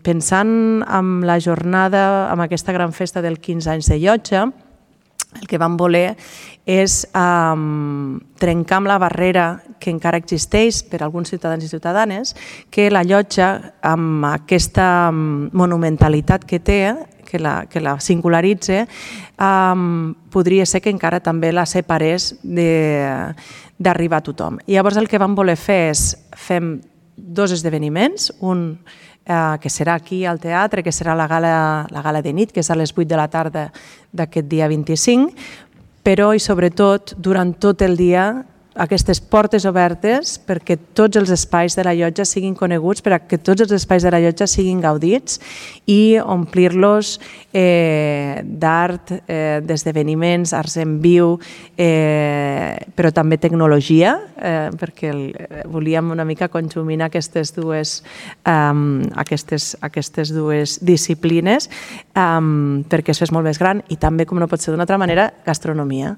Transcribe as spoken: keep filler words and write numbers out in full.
Pensant en la jornada, en aquesta gran festa del quinze anys de Llotja, el que vam voler és um, trencar amb la barrera que encara existeix per a alguns ciutadans i ciutadanes, que la Llotja, amb aquesta monumentalitat que té, que la, que la singularitza, um, podria ser que encara també la separés d'arribar a tothom. I llavors el que vam voler fer és fem dos esdeveniments, un eh, que serà aquí al teatre, que serà la gala, la gala de nit, que és a les vuit de la tarda d'aquest dia vint-i-cinc, però i sobretot durant tot el dia aquestes portes obertes perquè tots els espais de la Llotja siguin coneguts, perquè tots els espais de la Llotja siguin gaudits i omplir-los eh, d'art, eh, d'esdeveniments, arts en viu, eh, però també tecnologia, eh, perquè el, volíem una mica conjuminar aquestes dues, um, aquestes, aquestes dues disciplines um, perquè es fes molt més gran i també, com no pot ser d'una altra manera, gastronomia.